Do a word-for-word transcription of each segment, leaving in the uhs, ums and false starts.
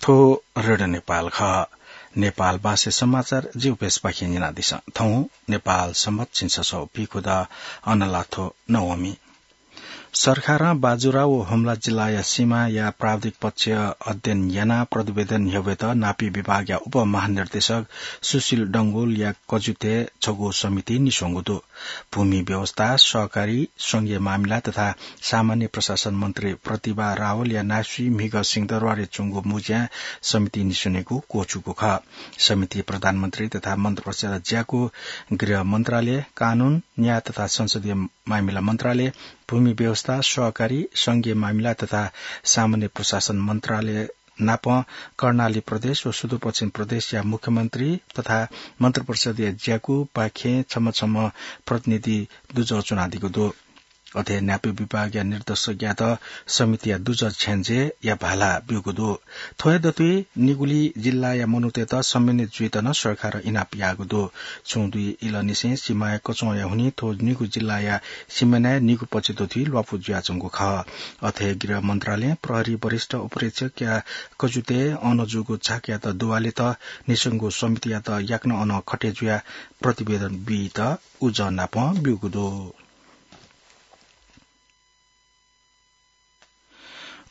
थ्व रेडियो नेपाल खः। नेपाल भाषा समाचार जिउपेसपाखें न्यनादिसँ। थौं नेपाल संवत झिंछसः पीखुदँ अनलाथ्व नवमी। सरकारं बाजुरा व हुम्ला जिल्लाया सीमाया प्राविधिक पक्ष अध्ययन यानाः प्रतिवेदन न्ह्यब्वयेत नापी विभागया उपमहानिर्देशक सुशील डंगोलया कजुतय् छगू समिति निस्वंगु दु। भूमि व्यवस्था, सहकारी, संघीय मामिला तथा सामान्य प्रशासन मन्त्री प्रतिभा रावलया नासुइ म्हिगः सिंहदरबारय् च्वंगु मुँज्याय् समिति निस्वनेगु क्वःछूगु खः। समिति प्रधानमन्त्री तथा मन्त्रिपरिषदया ज्याकू, गृह मन्त्रालय, कानून, न्याय तथा संसदीय मामिला मन्त्रालय, भूमि व्यवस्था, सहकारी, संघीय मामिला तथा सामान्य प्रशासन मन्त्रालय नाप कर्णाली प्रदेश व सुदूरपश्चिम प्रदेशया मुख्यमन्त्री तथा मन्त्रिपरिषदया ज्याकूपाखें छम्ह छम्ह प्रतिनिधि दुजः च्वनादीगु दु। अथे नापी विभागया निर्देशकयात समितिया दुजः छ्यंज्याया भाला ब्यूगु दु। थ्व हे दथुइ निगुली जिल्लाया मनूतय्त सम्मानित जुइत नं सरकारं इनाप याःगु दु। छुं दुई इलंनिसें सीमाया कच्वंया हुनिं थ्व निगू जिल्लाया सीमानाय् निगू पक्ष दथुइ ल्वापु जुयाच्वंगु खः। अथे गृह मन्त्रालयं प्रहरी वरिष्ठ उपरीक्षकया कजुतय् अन जूगु छाकयात दुवालेत निस्वंगु समितियात याकनं अन खटे जुयाः प्रतिवेदन बीत उजं नाप ब्यूगु दु।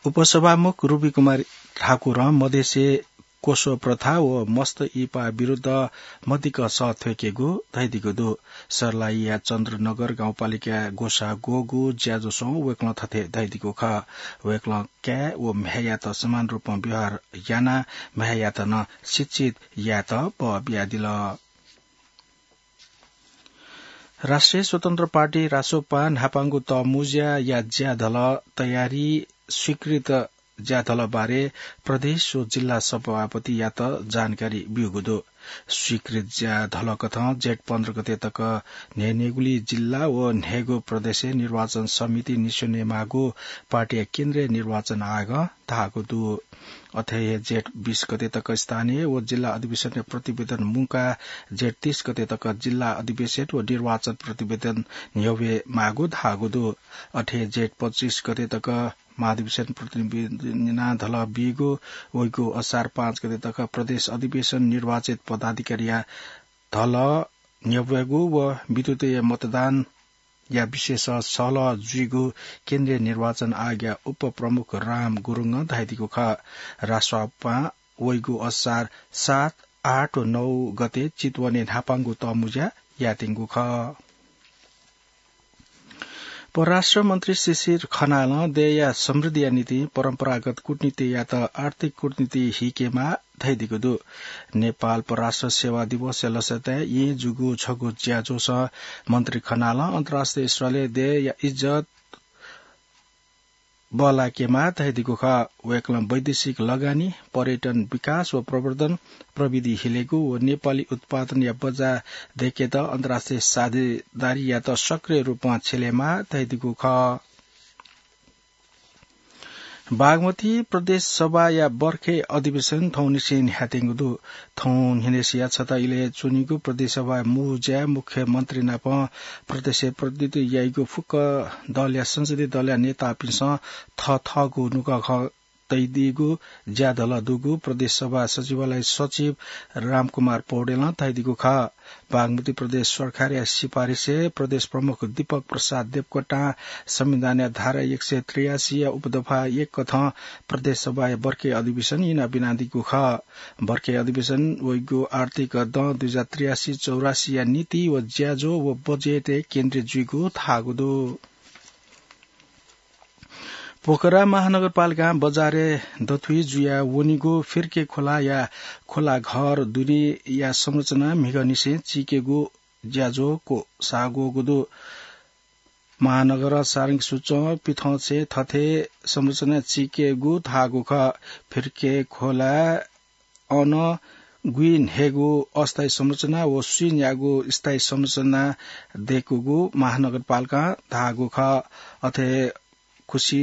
उपसभामुख रूपी कुमार ठाकुरं मधेसय् क्वसः प्रथा व मस्त इपा विरुद्ध मदिक्क सः थ्वयेकेगु धयादीगु दु। सर्लाहीया चन्द्रनगर गाउँपालिकाय् ग्वसाः ग्वःगु ज्याझ्वलय् वय्कलं थथे धयादीगु खः। वय्कलं काय् व म्ह्याय्‌यात समान रूपं व्यवहार यानाः म्ह्याय्‌यात नं शिक्षित यायेत बः बियादिल। राष्ट्रिय स्वतन्त्र पार्टी रासोपां न्हापांगु तःमुँज्याया ज्याधलः तयारी, स्वीकृत ज्याधलः बारे प्रदेश व जिल्ला सभापतियात जानकारी ब्यूगु दु। स्वीकृत ज्याधलःकथं जेठ पन्ध्र गते तक न्हय्न्हय्गुली जिल्ला व न्हय्गू प्रदेशय् निर्वाचन समिति निस्वनेमाःगु पार्टीया केन्द्रीय निर्वाचन आयोगं धाःगु दु। अथे हे जेठ बीस गते तक स्थानीय व जिल्ला अधिवेशनया प्रतिवेदन मुंकाः जेठ तीस गते तक जिल्ला अधिवेशन व निर्वाचन प्रतिवेदन न्ह्यब्वये माःगु धाःगु दु। अथे हे जेठ पच्चीस गते तक महाधिवेशन प्रतिवेदन ज्याधलः बीगु, वइगु असार पाँच गते तक प्रदेश अधिवेशन, निर्वाचित पदाधिकारीया धलः न्ह्यब्वयेगु व विद्युतीय मतदान या विषयय् सहलह जुइगु केन्द्रीय निर्वाचन आयोगया उपप्रमुख राम गुरुङं धयादीगु खः। रासोपां वइगु असार सात, आठ व नौ गते चितवनय् न्हापांगु तःमुँज्या यायेत्यंगु खः। परराष्ट्र मन्त्री शिशिर खनालं देय्‌या समृद्धिया निंतिं परम्परागत कूटनीतियात आर्थिक कूटनीति हीकेमाः धयादीगु दु। नेपाल परराष्ट्र सेवा दिवसया लसताय् येँ जूगु छगू ज्याझ्वलय् मन्त्री खनालं अन्तर्राष्ट्रिय स्तरय् देय्‌या इज्जत बल्लाकेमाः धयादीगु खः। वय्‌कलं वैदेशिक लगानी, पर्यटन विकास व प्रवर्धन, प्रविधि हिलेगु व नेपाली उत्पादनया बजार दय्‌केत अन्तर्राष्ट्रिय साझेदारीयात सक्रिय रूपं छ्यलेमाः धयादीगु खः। बागमती प्रदेश सभाया बर्खे अधिवेशन थौंनिसें न्ह्याथेंगु दु। थौं न्हिनय् सिया छता इलय् च्वनीगु प्रदेश सभाया मुँज्याय् मुख्यमन्त्री नाप प्रदेशय् प्रतिनिधित्व याइगु फुक्क दलया संसदीय दलया नेतापिन्सं थःथःगु नुगः खँ तयादीगु ज्याधलः दुगु प्रदेश सभा सचिवालय सचिव रामकुमार पौडेलं धयादीगु खः। बागमती प्रदेश सरकारया सिफारिसय् प्रदेश प्रमुख दीपक प्रसाद देवकोटां संविधानया धारा एक सय त्रियासी या उपदफा एक कथं प्रदेश सभाया बर्खे अधिवेशन इनाप यानादीगु खः। बर्खे अधिवेशन वइगु आर्थिक दँ दुई हजार त्रियासी चौरासी या नीति व ज्याझ्वः व बजेटय् केन्द्रित जुइगु धाःगु दु। पोखरा महानगरपालिकां बजारय् दथुइ जुया वनीगु फिर्के खोलाया खोला घर दुनेया संरचना म्हिगःनिसें चीकेगु ज्याझ्वः क्वसाः ग्वःगु दु। महानगर सारंग सूचं पिथंचय् थथे संरचना चीकेगु धाःगु खः। फिर्के खोला अन गुइन्हय्गू अस्थायी संरचना व स्वीन्यागू स्थायी संरचना दय्कूगु महानगरपालिकां धाःगु खः। अथे खुसी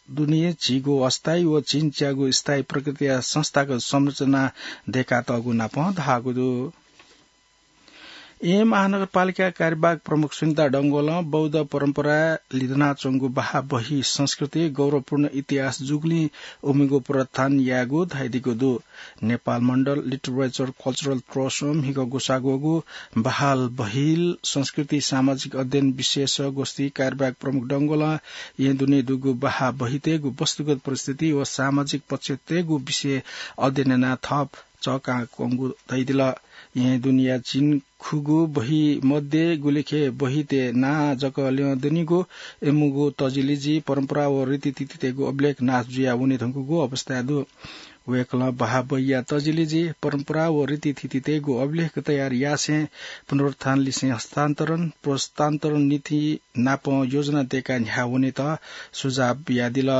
दुने झिगू अस्थायी व झिंच्यागू स्थायी प्रकृतिया संस्थागत संरचना दय्कातःगु नापं धाःगु दु। येँ महानगरपालिका कार्यवाहक प्रमुख सुनिता डंगोलं बौद्ध परम्परा लिधनाच्वंगु बाहा बही संस्कृति गौरवपूर्ण इतिहास जूगुलिं उमिगु पुनरुत्थान यायेगु धयादीगु दु। नेपाल मण्डल लिटरेचर कल्चरल ट्रस्टं म्हिगः ग्वसाः ग्वःगु बहाल बहिल संस्कृति सामाजिक अध्ययन विशेष गोष्ठी कार्यवाहक प्रमुख डंगोलं येँ दुने दुगु बाहा बहितय्गु वस्तुगत परिस्थिति व सामाजिक पक्षतय्गु विषय अध्ययन यानाः थप चःकाकंगु धयादिल। येँ दुनिया झिंखुगू बही मध्ये गुलिखे बहितय् नां जक ल्यं दनिगु इमिगु तजिलिजि परम्परा व रीतिथितितय्गु अभिलेख नाश जुया वने धुंकूगु अवस्था दु। वय्कलं बाहा बहिया तजिलिजि परम्परा व रीतिथितितय्गु अभिलेख तयार यासें पुनरुत्थान लिसें हस्तान्तरण, पुनरुत्थान नीति नाप योजना दय्काः न्ह्याः वनेत सुझाव बियादिल।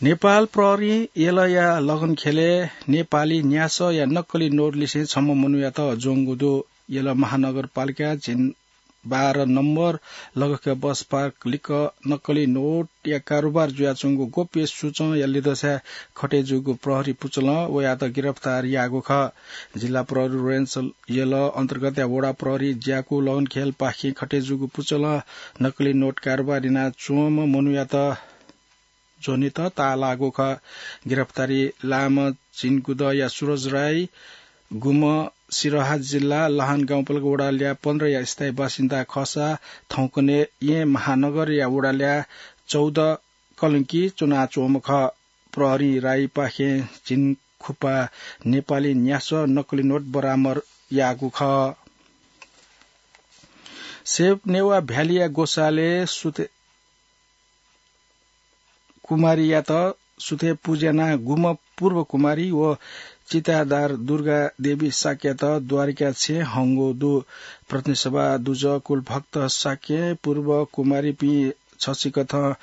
नेपाल प्रहरीं यलया लगनखेलय् नेपाली न्यासःया नक्कली नोट लिसें छम्ह मनूयात ज्वंगु दु। यल महानगरपालिका झिंबारा नम्बर लगखे बस पार्क लिक्क नक्कली नोटया कारोबार जुयाच्वंगु गोप्य सूचंया लिधंसाय् खटे जूगु प्रहरी पुचलं वयात गिरफ्तार याःगु खः। जिल्ला प्रहरी रेन्ज यल अन्तर्गतया वडा प्रहरी ज्याकू लगनखेलपाखें खटे जूगु पुचलं नक्कली नोट कारोबार यानाच्वंम्ह मनूयात ज्वनेत ताःलाःगु खः। गिरफ्तारी लाःम्ह झिंगुदँया सुरज राई, गुम्ह सिरहा जिल्ला लहान गाउँपालिका वडा ल्याः पन्ध्रया स्थायी बासिन्दा खःसा थौंकन्हय् येँ महानगरया वडा ल्याः चौध कलंकी च्वनाच्वंम्ह खः। प्रहरीं राईपाखें झिंखुपा नेपाली न्यासः नक्कली नोट बरामद याःगु खः। सेप नेवाः भ्यालीया ग्वसालय् सुथे कुमारीयात सुथे पुज्यानाः गुम्ह पूर्व कुमारी व चितादार दुर्गा देवी शाक्ययात द्वारिका छेँय् हंगु दु। प्रतिनिधि सभा दुजः कुलभक्त शाक्य, पूर्व कुमारीपिं छसिकथं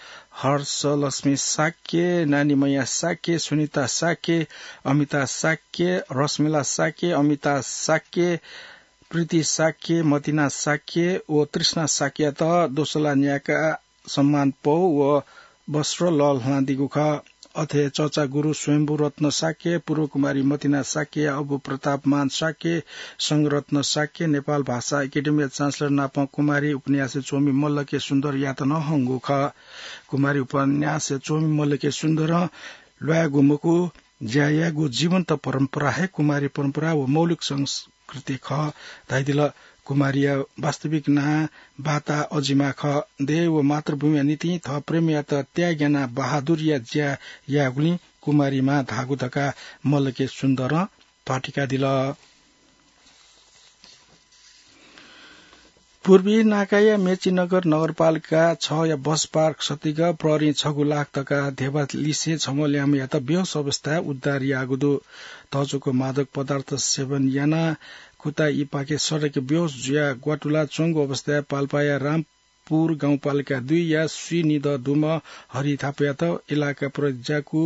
हर्षलक्ष्मी शाक्य, नानीमैया शाक्य, सुनिता शाक्य, अमिता शाक्य, रश्मिला शाक्य, अमिता शाक्य, प्रीति शाक्य, मतिना शाक्य व तृष्णा शाक्ययात दोसला न्यायेकाः सम्मान पौ व वस्त्र लःल्हानादीगु खः। अथे चर्चा गुरु स्वयम्भू रत्न शाक्य, पूर्व कुमारी मतिना शाक्यया अबु प्रतापमान शाक्य, संघरत्न शाक्य, नेपाल भाषा एकेडेमीया चान्सलर नापं कुमारी उपन्यासय् च्वमि मल्ल के सुन्दरयात नं हंगु खः। कुमारी उपन्यासय् च्वमि मल्ल के सुन्दरं ल्वायेगु मखु, ज्या यायेगु जीवन्त परम्परा हे कुमारी परम्परा व मौलिक संस्कृति खः धयादिल। कुमारीया वास्तविक नां बाता अजिमा खः। देय् व मातृभूमिया निंतिं थः प्रेमीयात त्याग यानाः बहादुरीया ज्या याःगुलिं कुमारीमा धाःगु धकाः मल्ल के सुन्दरं पाटिकादिल। पूर्वी नाकाया मेचीनगर नगरपालिका छया बस पार्क सतिक प्रहरीं छगू लाख तका धेबा लिसें छम्ह ल्याय्म्हयात बेहोस अवस्थाय् उद्धार याःगु दु। तःच्वंगु मादक पदार्थ सेवन यानाः कुता इपाखे सडकय् बेहोस जुयाः ग्वातुला च्वंगु अवस्थाय् पाल्पाया रामपुर गाउँपालिका दुईया स्वीनिदँ दुम्ह हरि थापायात इलाका प्रहरी ज्याकू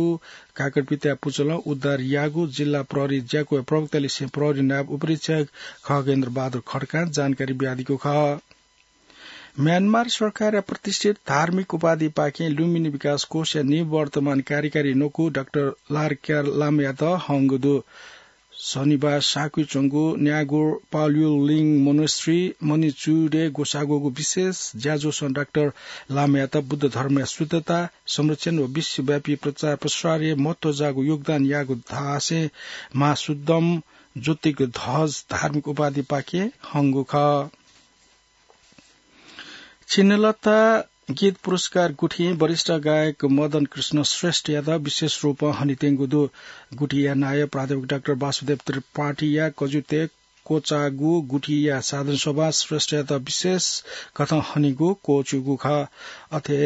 काकरपित्या पुचलं उद्धार याःगु जिल्ला प्रहरी ज्याकूया प्रवक्तालिसें प्रहरी नायब उपरीक्षक खगेन्द्र बहादुर खड्कां जानकारी बियादीगु खः। म्यानमार सरकारया प्रतिष्ठित धार्मिक उपाधिपाखें लुम्बिनी विकास कोषया निवर्तमान कार्यकारी न्वकू डाक्टर लारक्यार लामायात हंगु दु। शनिबार साकुइ च्वंगु न्यागुर पाल्युलिङ मोनेस्ट्री मणिचुडय् ग्वसाः ग्वःगु विशेष ज्याझ्वलं डाक्टर लामायात बुद्ध धर्मया शुद्धता, संरक्षण व विश्वव्यापी प्रचार प्रसारय् महत्त्वजाःगु योगदान याःगु धासें महाशुद्धम ज्योतिक ध्वज धार्मिक उपाधिपाखें हंगु खः। छिन्नलता गीत पुरस्कार गुथिं वरिष्ठ गायक मदन कृष्ण श्रेष्ठयात विशेष रूपं हनेत्यंगु दु। गुथिया नायः प्राध्यापक डाक्टर वासुदेव त्रिपाठीया कजुतय् क्वचाःगु गुथिया साधारण सभा श्रेष्ठयात विशेष कथं हनेगु क्वःछिउगु खः। अथे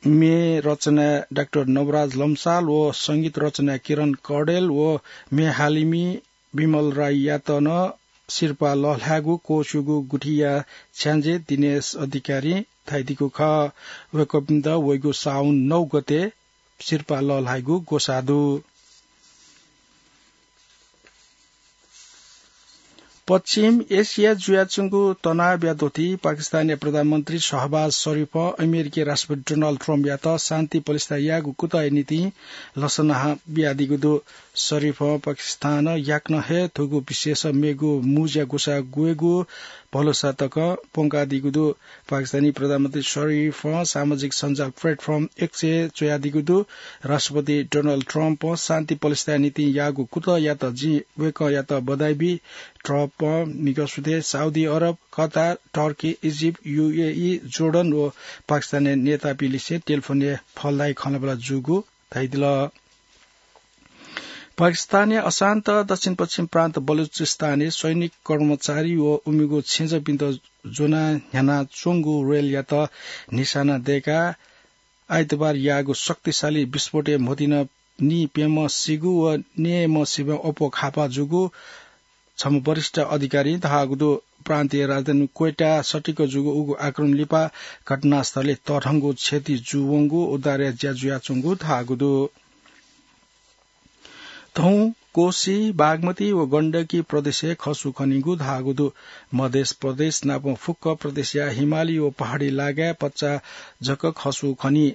म्ये रचना डाक्टर नवराज लम्साल व संगीत रचना किरण कौडेल व म्ये हालिमि विमल राईयात नं सिरपाः लःल्हायेगु क्वःछिउगु गुथिया छ्याञ्जे दिनेश अधिकारीं धयादीगु खः। वय्कःपिन्त वइगु साउन नौ गते सिरपाः लःल्हायेगु ग्वसाः दु। पश्चिम एसिया जुयाच्वंगु तनावया द्वति पाकिस्तानया प्रधानमन्त्री शहबाज शरीफं अमेरिकी राष्ट्रपति डोनाल्ड ट्रम्पयात शान्ति पलिस्था यायेगु कुतःया निंतिं लसना बियादीगु दु। शरीफं पाकिस्तानं याकनं हे थुगु विषयस मेगु मुँज्या ग्वसाः ग्वयेगु भलसा तक प्वंकादीगु दु। पाकिस्तानी प्रधानमन्त्री शरीफं सामाजिक सञ्जाल प्लेटफर्म एक्सय् च्वयादीगु दु। राष्ट्रपति डोनाल्ड ट्रम्पं शान्ति पलिस्थाया निंतिं याःगु कुतःयात जिं वय्कःयात बधाई बी। ट्रम्पं म्हिगः सुथय् साउदी अरब, कतार, टर्की, इजिप्ट, यूएई, जोर्डन व पाकिस्तानया नेतापिं लिसें टेलिफोनय् फलदायी खँल्हाबल्हा जूगु धयादिल। पाकिस्तानया अशान्त दक्षिण पश्चिम प्रान्त बलुचिस्तानय् सैनिक कर्मचारी व उमिगु छेँजःपिन्त ज्वनाः न्ह्यानाच्वंगु रेलयात निशाना दय्काः आइतबार याःगु शक्तिशाली विस्फोटय् म्होतिन नीप्यम्ह सीगु व न्यय्म्ह सिबें अप्वः खापा जूगु छम्ह वरिष्ठ अधिकारीं धाःगु दु। प्रान्तीय राजधानी क्वेटा सटिक जूगु उगु आक्रमण लिपा घटनास्थलय् तःधंगु क्षति जूवंगु उद्धारया ज्या जुयाच्वंगु धाःगु दु। थौं कोशी, बागमती व गण्डकी प्रदेशय् खसु खनीगु धाःगु दु। मधेस प्रदेश नाप फुक्क प्रदेशया हिमाली व पहाडी लागाय् पच्चा जक खसु खनी।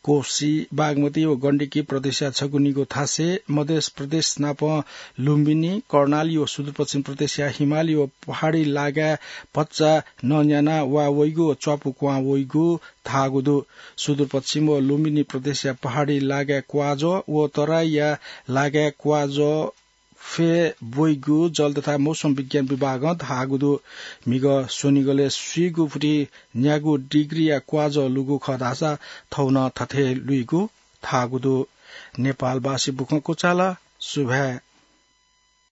कोशी, बागमती व गण्डकी प्रदेशया छगू निगू थासय् मधेस प्रदेश नाप लुम्बिनी, कर्णाली व सुदूरपश्चिम प्रदेशया हिमाली व पहाडी लागाय् पच्चा नन्याना वा वइगु व च्वापु क्वहां वइगु धाःगु दु। सुदूरपश्चिम व लुम्बिनी प्रदेशया पहाडी लागाय् क्वाजः व तराईया लागाय् क्वाजः फय् ब्वइगु जल तथा मौसम विज्ञान विभागं धाःगु दु। म्हिगः स्वनिगलय् स्वीगू फुति न्यागू डिग्रीया क्वाजः लुगु खः धाःसा थौं नं थथे लुइगु धाःगु दु। नेपालवासी बुखँ कुचाल, सुभाय्।